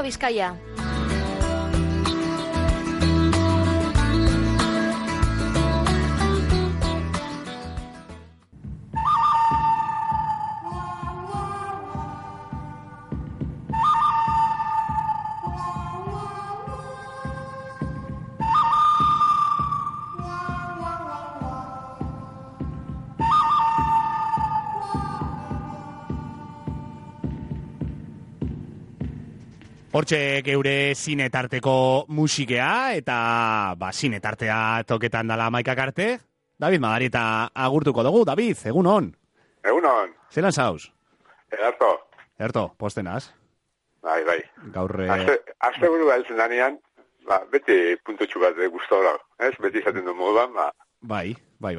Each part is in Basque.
Radio Bizkaia. Hortxe geure zinetarteko musikea, eta zinetartea toketan dala Maikak arte. David Madarieta agurtuko dugu. David, egun hon. Egun hon. Zelan zauz? Erto, postenaz. Bai. Gaurre... Azte buru beltzen danean, beti puntotxu bat guztu dago. Ez, beti izaten du moduan, Bai,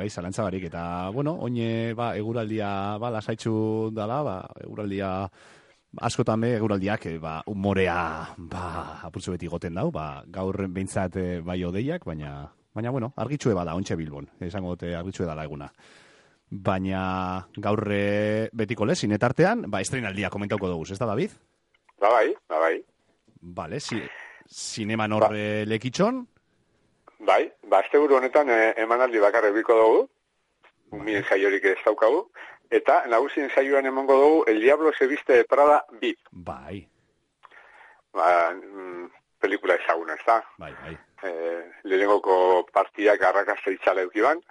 zalantza barik. Eta, oine, eguraldia, lasaitzu dala, eguraldia... Askotan eguraldiak umorea apurtzu beti goten dau, gaur behintzat bai odeiak, baina argitsue bada, ontxe Bilbon, esango dute argitsue dala eguna. Baina gaur betiko lez, zinetartean, estrenaldia komentauko dugu, ez da, David? Bai. Vale, zineman horre lekitxon? Bai, azte buru honetan emanaldi bakarre biko dugu, mien jaiorik ez daukagu, eta nagusien saioan emango dugu El Diablo se viste de Prada 2. Bai. Pelikula ezaguna, ez da? Bai. Lehenengoko partiak arrakasta itzala eukiban,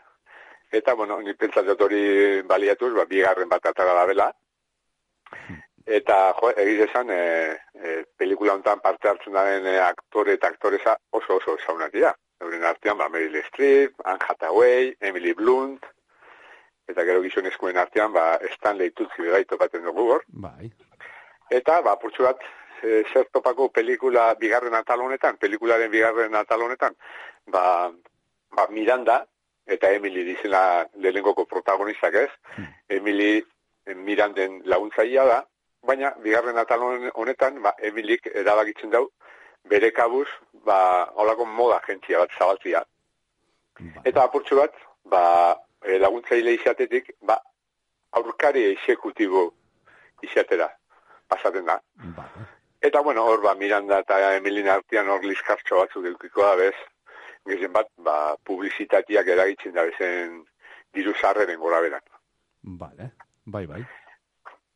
eta, ni pentsatzen hori baliatuz, bigarren bat atara da bela. Eta, egiz esan, pelikula honetan parte hartzen daren aktore eta aktoreza oso ezagunak dira. Euren artean, Meryl Streep, Anne Hathaway, Emily Blunt, eta gero gizonezkoen artean, Stanley Tucci bebai topaten dugu hor. Bai. Eta, purtsu bat, zer topako pelikula bigarren atal honetan, pelikularen bigarren atal honetan, Miranda, eta Emily dizena lehenengoko protagonistak ez, Emily Miranden laguntzaia da, baina bigarren atal honetan, Emilyk erabakitzen dau, bere kabuz, holako moda agentzia bat zabaltzia. Eta, purtsu bat, laguntzaile izatetik, aurkari exekutibo izatera pasaten da. Eta, hor, Miranda eta Emilina artean hor liskartxo batzuk edukiko da, bez, gezen bat, publizitatiak eragitzen da bezen diru sarreren gora beran. Bai.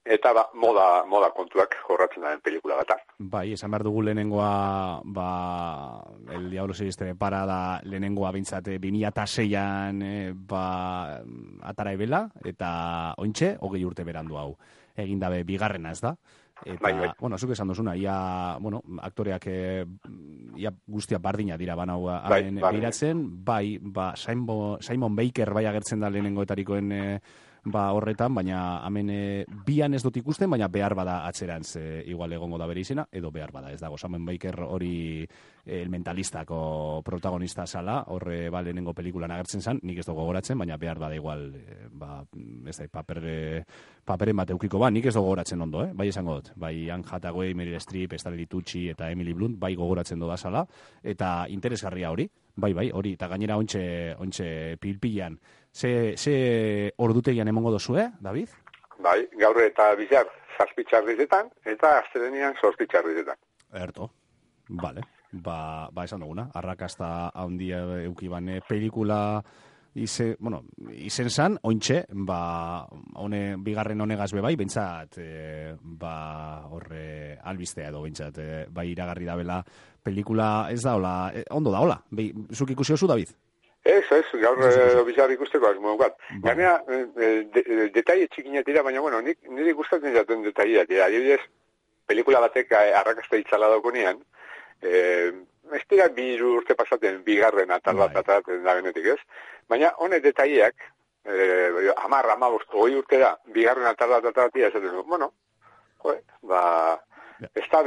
Eta, moda kontuak jorratzen daren pelikula bat. Bai, esan behar dugu lehenengoa, El Diablo se viste de Prada lehenengoa bintzate 2006an atara ebela, eta ointxe, 20 urte berandu hau. Egin dabe bigarrena ez da. Eta, zuk esan dozuna, aktoreak guztia bardina dira banau behiratzen, Simon Baker agertzen da lehenengoetarikoen horretan, baina hemen bian ez dut ikusten, baina behar bada atzerantz igual egongo da bere izena, edo behar bada ez dago. Simon Baker hori El Mentalistako protagonista zala, horre lehenengo pelikulan agertzen zan, nik ez dugu gogoratzen, baina behar bada igual ez da, paperen bat eukiko nik ez dugu gogoratzen ondo, bai esango dut. Bai Anne Hathaway, Meryl Streep, Stanley Tucci eta Emily Blunt, bai gogoratzen doda zala, eta interesgarria hori. Bai, hori, eta gainera ontxe pilpilan. Ze ordutegian emongo dozue, David? Bai, gaur eta bizar zazpitxarrizetan, eta aztelenian zortzitxarrizetan. Erto, bale. Esan duguna, arrakasta handia eukibane pelikula izen zan, ointxe, bigarren honegaz bebai, bentsat, horre albistea edo, bentsat, iragarri dabela pelikula ez da, hola, ondo da, hola, zuk ikusi oso, David? Ez, gaur bizar ikusteko azmodukat. Ganea, detaile txikinak dira, baina, nire gustatzen zaten detaileak dira. Adibidez, pelikula batek arrakasta itzala daukonean, ez dira 2 urte pasaten bigarren atal bat atatzen da benetik, ez? Baina, honek detaileak, 10, 15, 20 urte da, bigarren atal bat atatzen esaten du. Ez da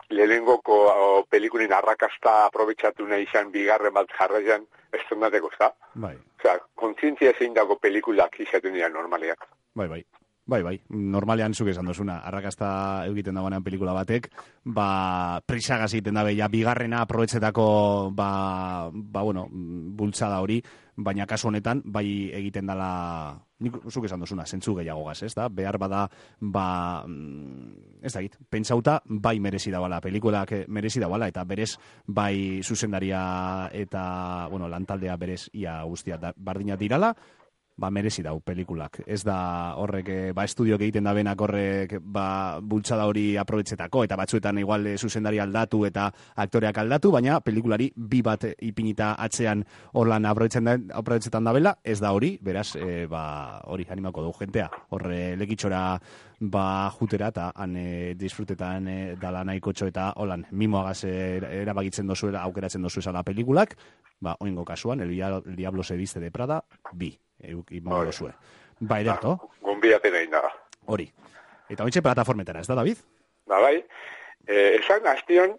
lehenengoko pelikulin arrakasta aprobetxatu nahi izan bigarren bat jarraian estrenateko, ez da? Osea, kontzientzia zein dago pelikulak izaten dira normaleak. Bai, normalean zuk esan dozuna, arrakasta egiten dagoenean pelikula batek, prisagaz egiten dabe, bigarrena aprobetxetako, bultzada hori, baina kasu honetan, bai egiten dala nik zuk esan duzuna, zentzu gehiago gaz, ez da? Behar bada, ez da git, pentsauta, bai merezi dabala, pelikulak merezi dabala, eta berez, bai zuzendaria eta, bueno, lantaldea berez ia guztia bardina dirala, ba, merezi dau pelikulak. Ez da horrek, estudioak egiten da benak horrek, bultzada hori aprobetxetako, eta batzuetan igual zuzendari aldatu eta aktoreak aldatu, baina pelikulari bi bat ipinita atzean horlan aprobetxetan da bela, ez da hori, beraz, hori animako dugu jentea. Horre lekitxora jutera eta han disfrutetan dala nahiko txo eta holan mimoagaz erabakitzen dozuela, aukeratzen dozu esala pelikulak, oingo kasuan, El Diablo se viste de Prada, bi. Imango dozue. Ba, ederto? Gonbidapen egin daga. Hori. Eta hoitxe plataformetara, ez da, David? Bai. Esan, hastion,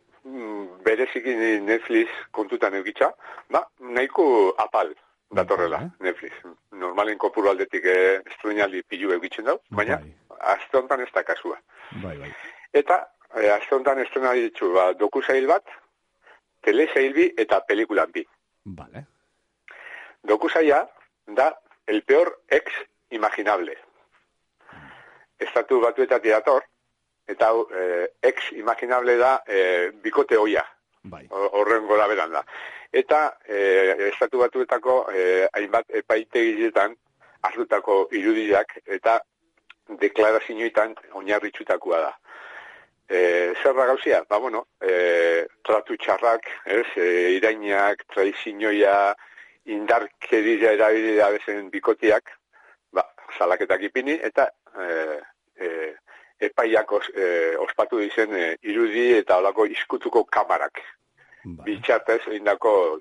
bereziki Netflix kontutan eukitza, nahiko apal datorrela, Netflix. Normalen kopuru aldetik estruinaldi pilu eukitzen dau, baina aste honetan ez da kasua. Bai. Eta, aste honetan estrenaldi ditzu, dokusail bat, telesail bi eta pelikulan bi. Vale. Dokusaila da el peor ex imaginable. Estatu batuetatik dator, eta ex imaginable da bikote oia. Bai. Horren gora beran da. Eta estatu batuetako hainbat epaitegiletan hartutako irudiak eta deklarazioetan oinarritutakoa da. Zer da gauzia? Tratu txarrak, irainak, traizinoia, indarkeria erabilia bezen bikotiak, salaketak ipini, eta epaiak ospatu dizen irudi eta olako izkutuko kamarak. Bitxartez egindako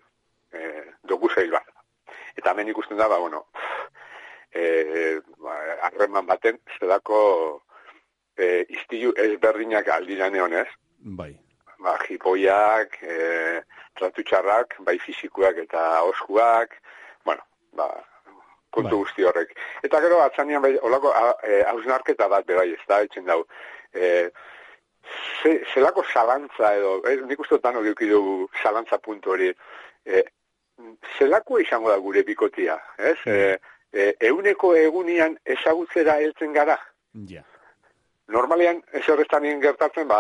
dokusail bat. Eta hemen ikusten da, harreman baten, zedako iztilu ezberdinak aldiran egonez. Bai. Jipoiak, tratu txarrak, bai fizikuak eta oskuak, kontu guzti horrek. Eta gero, atzanean, holako hausnarketa bat bebai, ez da, etxen dau. Zelako zalantza edo, nik uste otan hori dugu zalantza puntu hori, zelako izango da gure bikotia, ez? Euneko egunian ezagutzera heltzen gara. Ja. Normalean, ez horretan gertatzen,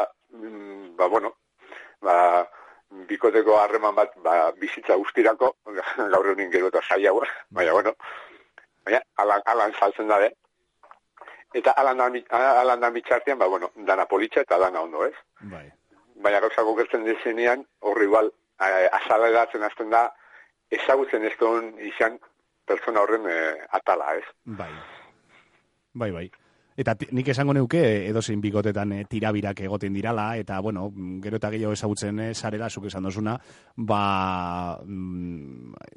bikoteko harreman bat bizitza guztirako, gaur egunin gero eta zaiagoa, baina alan saltzen da, eta alan da mitxartean, dana politxa eta dana ondo, ez? Bai. Baina gauzako gertzen dezenean, horri igual, azaleratzen azten da, ezagutzen ez duen izan pertsona horren atala, ez? Bai. Eta nik esango neuke edozein bikotetan tirabirak egoten dirala, eta, gero eta gehiago ezagutzen sarela, zuk esan dozuna,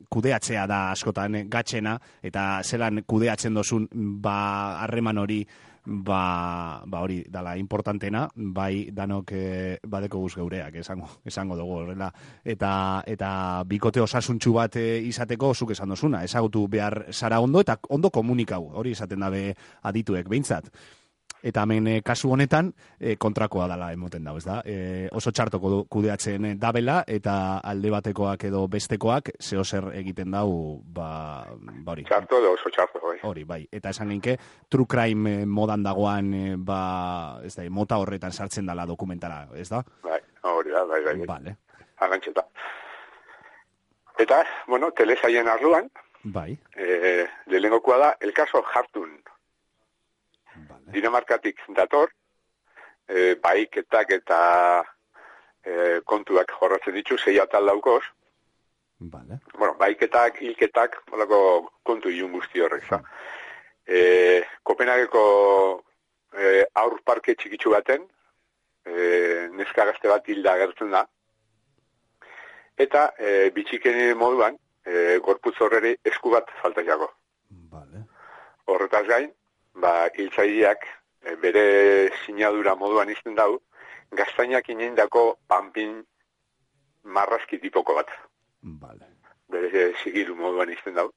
kudeatzea da askotan gatxena, eta zelan kudeatzen dozun, harreman hori, hori dala importantena, bai danok badeko guz geureak, esango dugu horrela. Eta bikote osasuntxu bat izateko, zuk esan dozuna, ezagutu behar zara ondo, eta ondo komunikau, hori esaten dabe adituek, behintzat. Eta hemen kasu honetan kontrakoa dela emoten dago, ez da? Oso txartoko kudeatzen dabela, eta alde batekoak edo bestekoak zeo zer egiten dau, hori. Txarto edo oso txarto, bai. Hori, bai. Eta esan genke, true crime modan dagoan, ez da, mota horretan sartzen dela dokumentara, ez da? Bai, hori da, bai. Vale. Agantxeta. Eta, telesaien arluan, bai. lehenengokoa da, el caso Hartun. Dinamarkatik dator, baiketak eta kontuak jorratzen ditu, 6 atal daukoz. Vale. Baiketak, hilketak, kontu ilun guzti horrek. Kopenhageko aur parke txikitsu baten, neska gazte bat hilda agertzen da. Eta bitxiken moduan, gorputz horreri esku bat falta jago. Vale. Horretaz gain, hiltzaileak bere sinadura moduan izten dau, gaztainak ineindako panpin marrazki tipoko bat. Vale. Bere sigilu moduan izten dau.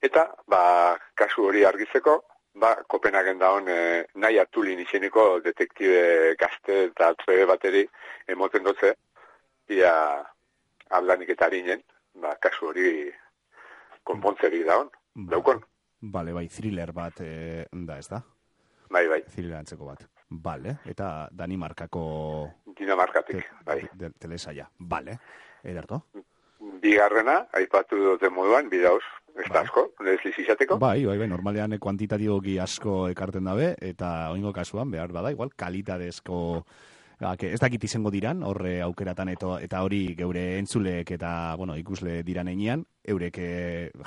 Eta, kasu hori argitzeko, Kopenhagen daun nahi Atulin izeneko detektibe gazte eta trebe bateri emoten dutze, ia aldanik eta harinen, kasu hori konpontzeri daun, daukon. Bale, bai, thriller bat da, ez da? Bai, bai. Thriller antzeko bat. Bale, eta Danimarkako Dinamarkatik, bai. telesaia. Bale, ederto? Bigarrena, aipatu dute moduan, bidauz, ez da asko, ez izateko. Bai, normalean kuantitatiboki asko ekarten dabe, eta oingo kasuan, behar bada, igual, kalitatezko, ez dakit izango diran, horre aukeratan eta hori geure entzuleek eta, bueno, ikusle diran einean, eurek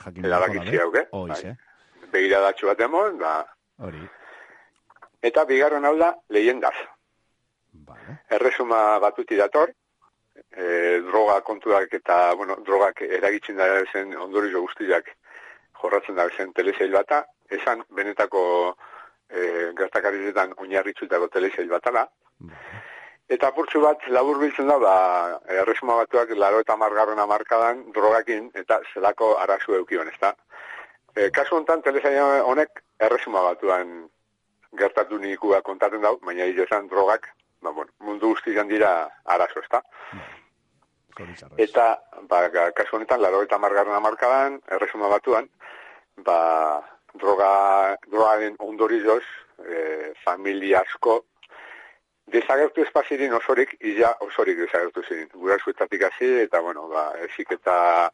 jakin erabakitzi hauke. Bai. Begiradatxo bat emon, hori. Eta bigarren hau da, leyendaz. Vale. Erresuma batuti dator, droga kontuak eta, bueno, drogak eragitzen da zen ondorizo guztiak jorratzen da zen telesail bata, esan benetako gertakarizetan oinarritzutako telesail batala. Eta apurtxu bat labur biltzen da, erresuma batuak 80. hamarkadan drogakin eta zelako arazu eukion, ezta? Kasu honetan telesail honek erresuma batuan gertatu nikua kontatzen dau, baina izan drogak, mundu guztian dira arazo, ezta? Eta, kasu honetan, 80. hamarkadan, erresuma batuan, drogaren ondorioz, familia asko, desagertu espazirin osorik, osorik desagertu zirin. Gurasoetatik hasi, eta, esik eta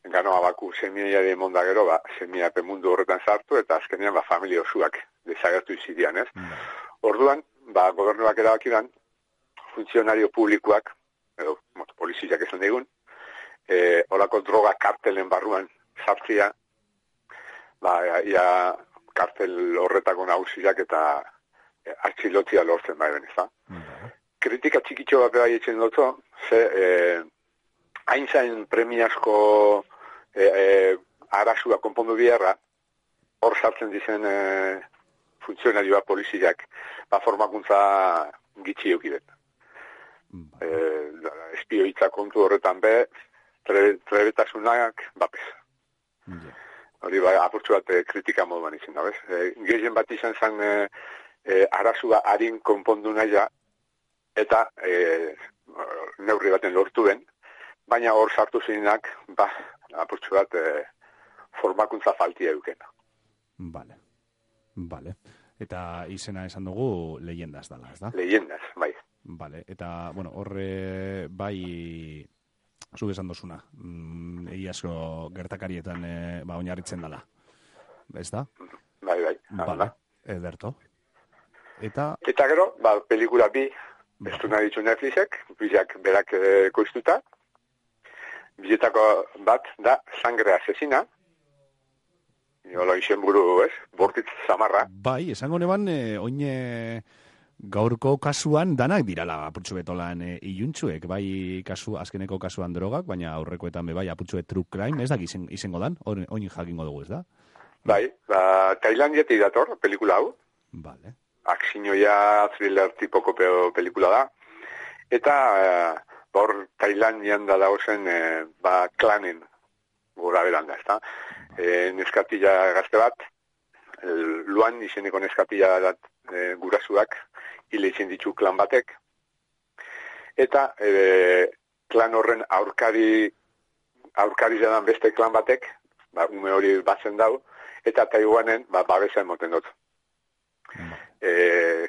ganoa baku semiaiare monda gero, semiape mundu horretan sartu, eta azkenean, familia osuak desagertu izidian, ez? Orduan, gobernuak erabakidan, funtzionario publikoak, edo poliziak esan digun, olako droga kartelen barruan sartzia, ia kartel horretako nagusiak eta atxilotzia lortzen bai ben, ezta? Kritika txikitxo bat bai etxen dutzo, hain zain premiazko arazua konpondu biharra, hor sartzen dizen funtzionarioa poliziak, formakuntza gitxi eukidet. Espioitza kontu horretan be, trebetasunak bapez. Hori apurtzu bat kritika moduan izin da, bez? Gehien bat izan zen arazua harin konpondu naia, eta neurri baten lortu den, baina hor sartu zinak, apurtzu bat formakuntza faltia eukena. Bale. Eta izena esan dugu leyendaz dala, ez da? Leyendaz, bai. Bale, eta, horre bai, zuk esan dozuna, egiazko gertakarietan oinarritzen dala, ez da? Bai. Bale, ederto. Eta gero, pelikula bi, ez du nahi ditu Netflixek, bizak berak koiztuta, biletako bat da Sangre Asesina, izen buru, ez? Bortitz zamarra. Bai, esango neban, oine gaurko kasuan danak dirala apurtxu betolan iluntzuek, bai azkeneko kasuan drogak, baina aurrekoetan bai apurtxu true crime, ez da izango dan, oin jakingo dugu, ez da? Bai, Tailandiatik dator, pelikula hau. Vale. Akzinoia thriller tipoko pelikula da. Eta hor Tailandian da dagozen klanen gora beranda, ez da? Neskatila gazte bat, Luan izeneko neskatila gurasuak hile izen ditu klan batek, eta klan horren aurkari zadan beste klan batek, ume hori batzen dau, eta Taiwanen babesa emoten dut.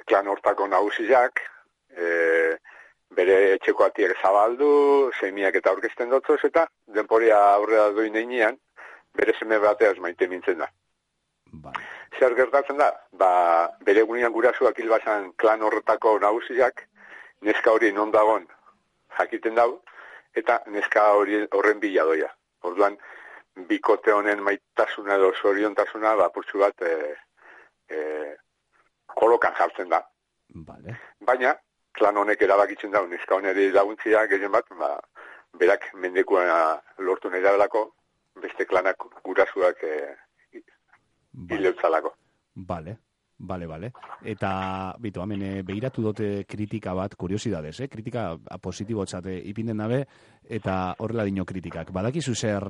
Klan hortako nagusiak, bere etxeko atiek zabaldu, semiak eta aurkezten dutzoz, eta denporia aurrera doin einean, bere seme bateaz maite mintzen da. Zer gertatzen da? Bere egunean gurasuak hilbazan klan horretako nagusiak, neska hori non dagon jakiten dau, eta neska horren bila doia. Orduan, bikote honen maitasuna edo zoriontasuna, apurtxu bat kolokan jartzen da. Baina, klan honek erabakitzen da, neska honeri laguntzia gehien bat, berak mendekua lortu nahi dabelako, beste klanak gurasuak hileutzalako. Bale. Eta, bitu, hemen behiratu dute kritika bat, kuriosidades, kritika positibo txate ipinden dabe, eta horrela dino kritikak. Badakizu zer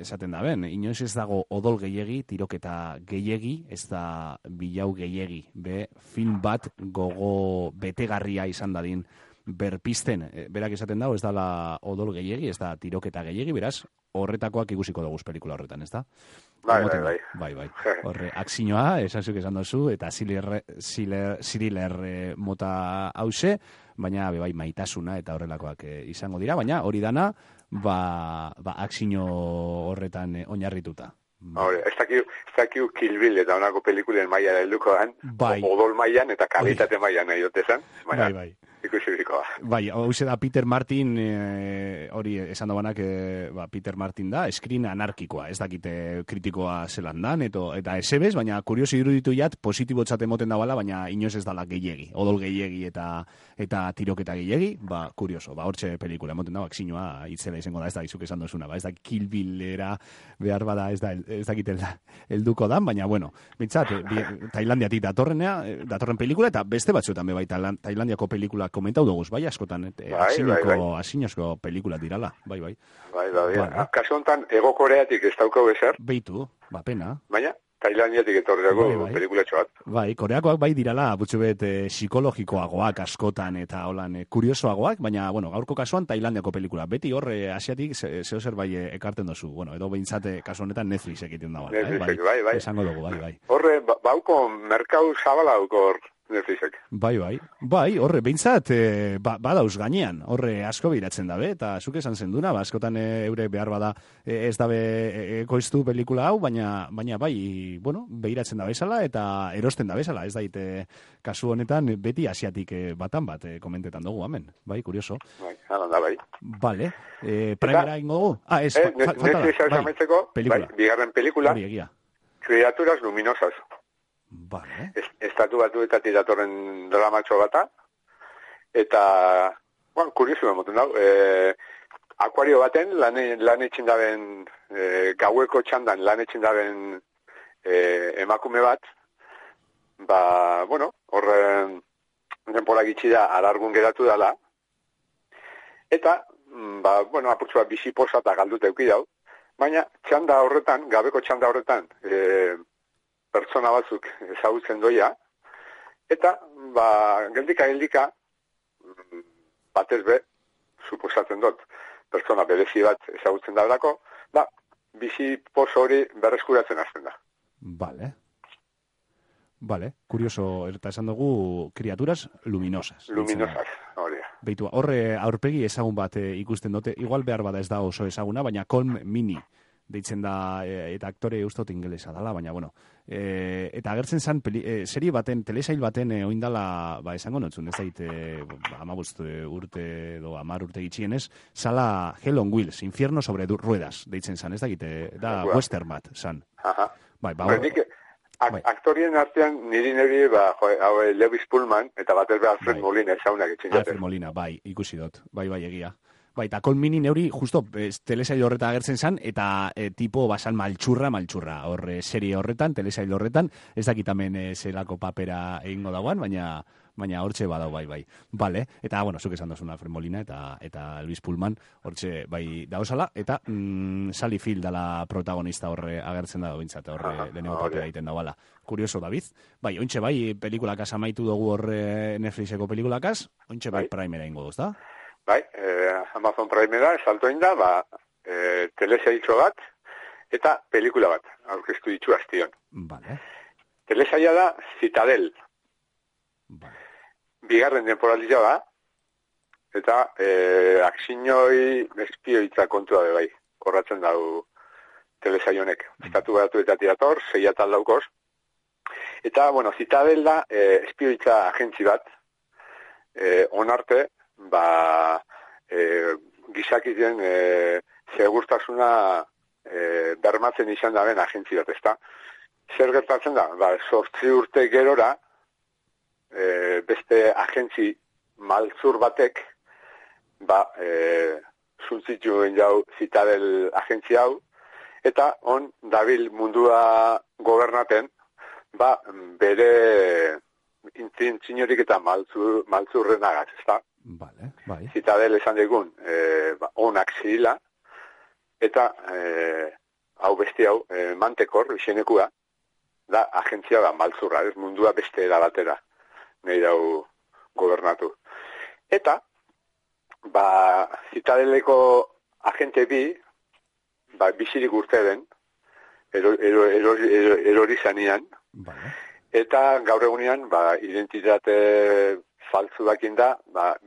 esaten daben, inoiz ez dago odol gehiegi, tiroketa gehiegi, ez da bilau gehiegi, film bat gogo betegarria izan dadin berpisten, berak esaten dago, ez dala odol gehiegi, ez da tiroketa gehiegi, beraz, horretakoak ikusiko dugu pelikula horretan, ez da? Bai. Horre, akzinoa, esan dozu, eta ziriler mota hause, baina bai maitasuna eta horrelakoak izango dira, baina hori dana, akzino horretan oinarrituta. Hore, ez dakiu Kill Bill eta honako pelikulen maiara helduko dan, odol mailan eta kalitate mailan nahi dutezan, baina ikusi birikoa. Bai, hauze da Peter Martin, hori esan dagoenak, Peter Martin da, eskrin anarkikoa, ez dakite kritikoa zelan dan, eta esebez, baina kurioso iruditu jat, positibotzat emoten dabala, baina inoz ez dala gehiegi, odol gehiegi eta tiroketa gehiegi, kurioso, hortxe pelikula emoten dago, akzinoa itzela izango da, ez da izuk esan dozuna, ez da Kill Billera behar bada, ez dakite helduko dan, baina bueno, bintzat, Tailandiatik datorren pelikula, eta beste batzuetan bai Tailandiako pelikula komentau dugu, bai, askotan, asinozko pelikula dirala, bai. Kasu honetan, Ego Koreatik ez daukau ezer. Beitu, pena. Baina, Tailandiatik etorreko pelikulatxo bat. Bai, Koreakoak bai dirala, butxubet psikologikoagoak askotan eta holan kuriosoagoak, baina, bueno, gaurko kasuan Tailandiako pelikula. Beti horre asiatik zehozer bai ekarten dozu. Bueno, edo behintzate kasu honetan Netflix egiten da. Netflix, bai. Esango dugu, bai. Horre, bauko merkau zabala hor Netflixek. Bai, horre, behintzat, badauz gainean, horre asko behiratzen dabe, eta zuk esan zenduna, askotan eure behar bada ez dabe ekoiztu pelikula hau, baina bai, bueno, behiratzen da bezala, eta erosten da bezala, ez daite kasu honetan beti asiatik batan bat komentetan dugu, amen, bai, kurioso. Bai, da, bai. Vale, primera ingo dugu? Netflix hau pelikula. Bigarren pelikula, Criaturas Luminosas. Vale. Estatu batuetatik datorren dramatxo bata, eta, kuriosu emoten dau, akuario baten, lan etxin daben, gaueko txandan lan etxin daben emakume bat, horren denpora gitxi da, alargun geratu dela, eta, apurtzu bat bizi posa eta galdut euki dau, baina txanda horretan, gabeko txanda horretan, pertsona batzuk ezagutzen doia, eta, geldika, batez be, suposatzen dut, pertsona berezi bat ezagutzen daudelako, bizi poso hori berreskuratzen hasten da. Vale, kurioso, eta esan dugu, Criaturas Luminosas. Hori. Beitu, horre aurpegi ezagun bat ikusten dute, igual behar bada ez da oso ezaguna, baina Colm Mini deitzen da, eta aktore ustot ingelesa dala, baina, bueno, eta agertzen zan, serie baten, telesail baten oindala, esango notzun, ez daite, 15 urte, 10 urte gitxienez, zala Hell on Wheels, Infierno sobre ruedas, deitzen zan, ez dakite, da western bat, zan. Aktorien artean, niri Lewis Pullman, eta batez be Alfred Molina ezaunak etxin jaten. Alfred Molina, ikusi dut, bai, egia. Eta Colm Mini neuri, justo, telesail horretan agertzen zan, eta tipo basan maltxurra, horre serie horretan, telesail horretan, ez dakitamen zelako papera egingo dagoan, baina hortxe badau, bai. Vale, eta, bueno, zuk esan dozuna Alfred Molina eta Elvis Pullman, hortxe bai dauzala, eta Sally Field dala protagonista horre agertzen da bintzat, horre deneko papera egiten dagoala. Kurioso, David. Bai, ointxe bai, pelikulakaz amaitu dugu horre Netflixeko pelikulakaz, ointxe bai primera ingo duz, da? Bai, Amazon Primera, saltoin da, telesailtxo bat, eta pelikula bat, aurkeztu ditu aztion. Vale. Telesaila da Citadel. Vale. Bigarren temporalizia da, eta aksinoi espioitza kontua bai, korratzen dau telesaionek. Estatu batuetatik dator, 6 atal daukoz. Eta, Citadel da espioitza agentzi bat, onarte, gizakiten segurtasuna bermatzen izan daben agentzi bat, ezta. Zer gertatzen da? 8 urte gerora, beste agentzi maltzur batek, zuntzituen jau Citadel agentzi hau, eta on dabil mundua gobernaten, bere intzinorik eta maltzurren agaz, ezta. Vale, bai. Citadel esan digun, onak zirila, eta hau beste hau, Mantekor, izenekua, da agentzia maltzurra, ez mundua beste batera, nahi dau gobernatu. Eta, Citadeleko agente bi, bizirik urte den, erori zanean, Vale. eta gaur egunean, identitate faltzu dakin da,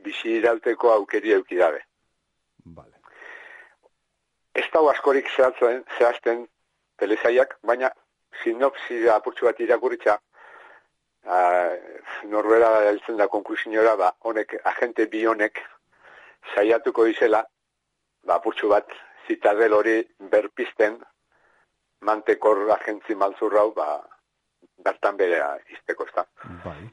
bizi irauteko aukeri euki dabe. Vale. Ez dago askorik zehazten telesaiak, baina sinopsi apurtxu bat irakuritza, norbera heltzen da konklusiora, honek, agente bi honek, saiatuko dizela, apurtxu bat, Zitadel hori berpisten, mantekor agentzi maltzurrau, bertan berea izteko, ezta. Bai.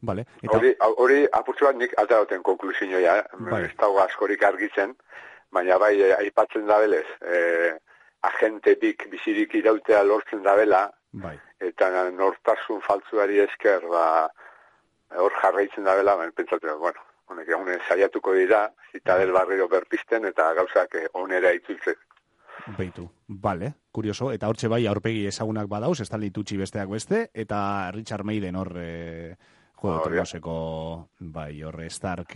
Vale. Hori apurtxu bat nik alterauten konklusioa, ez dago askorik argitzen, baina bai, aipatzen da belez, agente bik bizirik irautea lortzen da bela, bai. Eta nortasun faltzuari esker, hor jarraitzen da bela, pentsatzen, honek egunen saiatuko dira, Zitadel barriro berpisten, eta gauzak onera itzultzen. Beitu, bale, kurioso, eta hortxe bai aurpegi ezagunak badauz, Stanley Tucci besteak beste, eta Richard Maiden hor Juego de Tronoseko, bai, horre Stark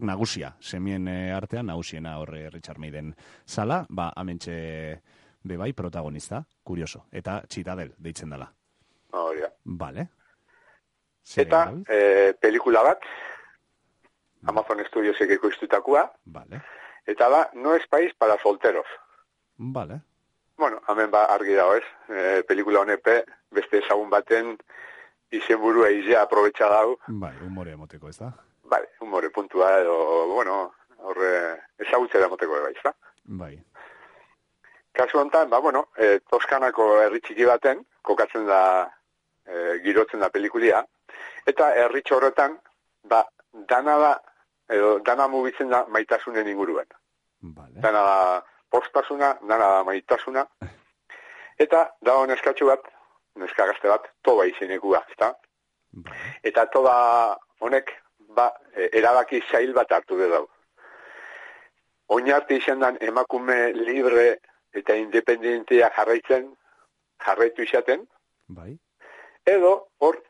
nagusia, semien artean nagusiena horre Richard Maiden zala, amentxe bebai protagonista, kurioso, eta Zitadel deitzen dela. Horia. Vale. Eta pelikula bat, Amazon Studiosek ekoiztutakoa, vale. Eta No es país para solteros. Vale. Bueno, hemen argi dago ez, pelikula honepe, beste ezagun baten izenburua izea aprobetxa dago. Bai, humore emoteko, ez da? Bai, humore puntua edo, horre ezagutzera emoteko bai, ez da? Bai. Kasu honetan, Toskanako herri txiki baten, kokatzen da, girotzen da pelikulia, eta herritxo horretan, dana mugitzen da maitasunen inguruan. Vale. Dana da postasuna, dana da maitasuna, eta dago neskatxu bat, neskagazte bat, toba izenekua, ezta? Vale. Eta toba honek, erabaki zail bat hartu dut. Oinarte izan dan emakume libre eta independentea jarraitu izaten, bai. Edo, hor,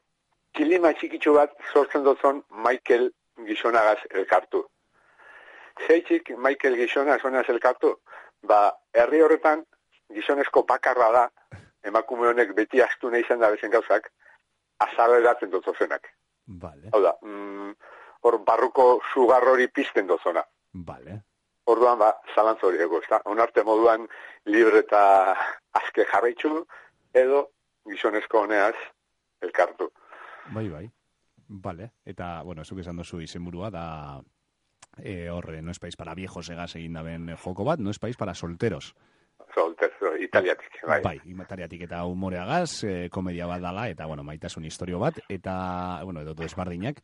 kilima txikitsu bat sortzen dutzen Michael gizonagaz elkartu. Zeitzik Michael gizonagaz elkartu, herri horretan gizonezko bakarra da, emakume honek beti astu nahi izan da bezen gauzak, azaleratzen dutzozenak. Vale. Hau da, hor barruko sugar hori pizten duzona. Vale. Orduan, zalantz hori ego, ezta? Onarte moduan libre eta azke jarraitzu, edo gizonezko honeaz elkartu. Bai. Vale. Eta, zuk esan dozu izenburua da horre, no es país para viejos egaz egin daben joko bat, no es país para solteros. Solteros, italiatik, bai. Bai, italiatik eta humoreagaz, komedia bat dala, eta, maitasun historio bat, eta, edo desbardinak.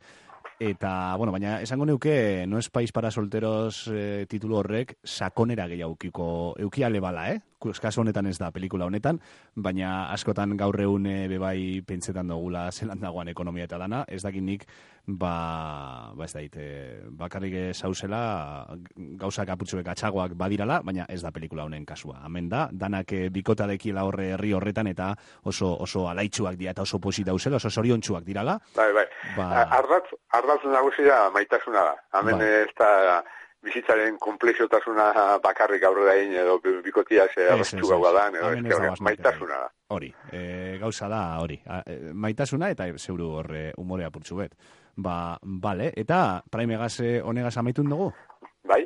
Eta, baina esango neuke, no es país para solteros titulu horrek, sakonera gehiago eukiale bala, Kasu honetan ez da, pelikula honetan, baina askotan gaur egun bebai pentsetan dugula zelan dagoan ekonomia eta dana, ez dakit nik, ez dakit, bakarrik zauzela, gauzak aputxuek atxagoak badirala, baina ez da pelikula honen kasua. Hemen da, danak bikota dekiela horre herri horretan, eta oso alaitxuak dira, eta oso posit dauzela, oso zoriontsuak dirala. Bai. Ardatz nagusia maitasuna da. Hemen ez da bizitzaren komplexotasuna bakarrik aurrera egin edo bikotia erreztu gaua da, maitasuna da. Hori, gauza da hori. Maitasuna eta zeuru horre humore apurtxu bet. Bale, eta Primegaz honegaz amaitun dugu? Bai,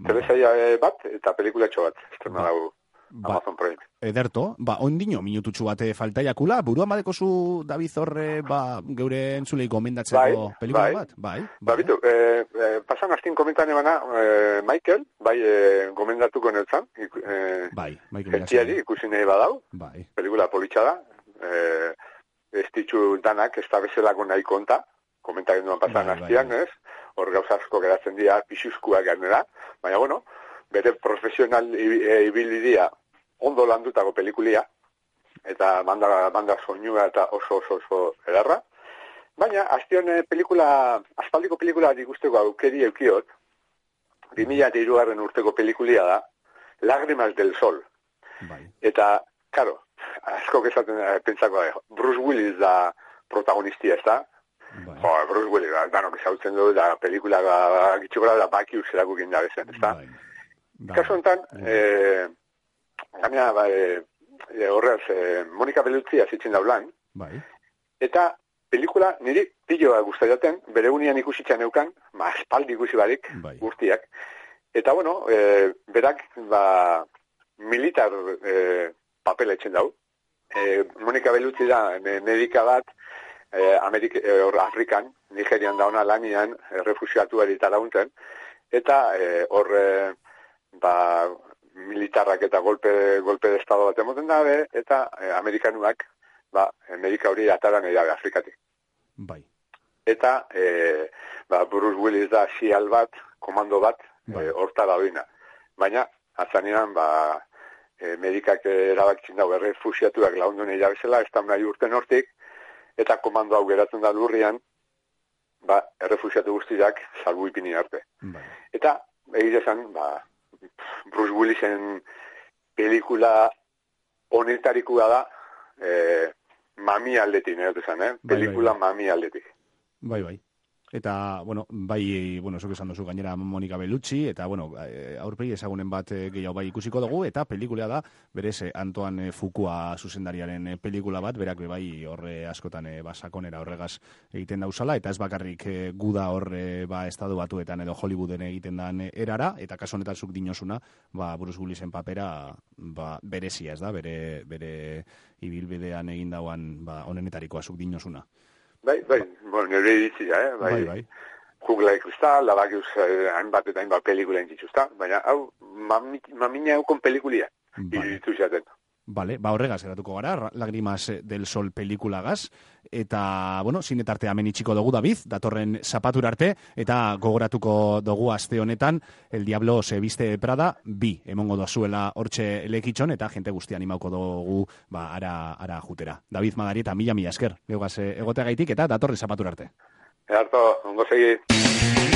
telesaia bat eta pelikulatxo bat. Esterna dago Amazon Prime. Ederto, ondino minututxu bat faltaiakula, buruan badeko zu David horre, geure entzulei gomendatzeko pelikula bat? Bai. Bitu, pasan astin komentan ebana, Michael, gomendatuko netzan. Michael. Gentiari ikusi nahi badau. Bai. Pelikula politxa da. Ez ditxu danak, ez da bezelako nahi konta. Komentak duan pasan astian, ez? Hor gauza asko geratzen dira, pixuzkuak ganera. Baina, bere profesional ibilidia ondo landutako pelikulia, eta banda soinua eta oso edarra. Baina, astion aspaldiko pelikula ikusteko aukeri eukiot, 2003 urteko pelikulia da, Lágrimas del Sol. Bai. Eta, karo, asko esaten pentsako da, Bruce Willis da protagonistia, ez da? Bai. Bruce Willis, danok ezautzen du, da pelikula gitxukola da baki userako ginda bezen, ez da? Bai. Kaso honetan, gaina, horrez, Monika Bellucci azitzen daulan, bai. Eta pelikula niri piloa guztatzen, bere unian ikusitzen eukan, espaldi ikusi barik, bai. guztiak. Eta, bueno, berak, militar papela etzen dau. Monika Bellucci da, medika bat, Afrikan, Nigerian dauna lanian, refusiatuari eta laguntzen, eta hor, militarrak eta golpe de estado bat emoten dabe, eta amerikanuak, Amerika hori ataran edabe Afrikatik. Bai. Eta, Bruce Willis da sial bat, komando bat, horta dauina. Baina, azanean, medikak erabakitzen dago, refusiatuak lagundu nahi bezala, ez da nahi urten hortik, eta komando hau geratzen da lurrian, errefusiatu guztiak salbu ipini arte. Bai. Eta, egizan, Bruce Willisen pelikula honetarikoa da, mami aldetik, pelikula mami aldetik. Bai. Eta, zuk esan duzu gainera Monika Bellucci, eta, aurpegi ezagunen bat gehiago bai ikusiko dugu, eta pelikula da, berez, Antoine Fuqua zuzendariaren pelikula bat, berak bai horre askotan sakonera horregaz egiten dauzala, eta ez bakarrik guda horre estadu batuetan edo Hollywooden egiten dan erara, eta kaso honetan zuk dinosuna, Bruce Willisen papera berezia, ez da, bere ibilbidean egin dauan onenetarikoa zuk dinosuna. Bai, nire iritzia, bai. Jungla de Cristal, labakiuz hainbat eta hainbat pelikula entzituzta, baina hau, mamina eukon pelikulia, iritzu zaten. Vale, horregaz eratuko gara, Lágrimas del Sol pelikulagaz, eta, zinetartea hemen itxiko dugu, David, datorren zapatura arte, eta gogoratuko dugu aste honetan, El Diablo se viste Prada, emongo dozuela hortxe lekitxon, eta jente guzti animauko dugu, ara jutera. David Madarieta, mila esker, geugaz egoteagaitik, eta datorren zapatura arte. Edarto, ongo segi.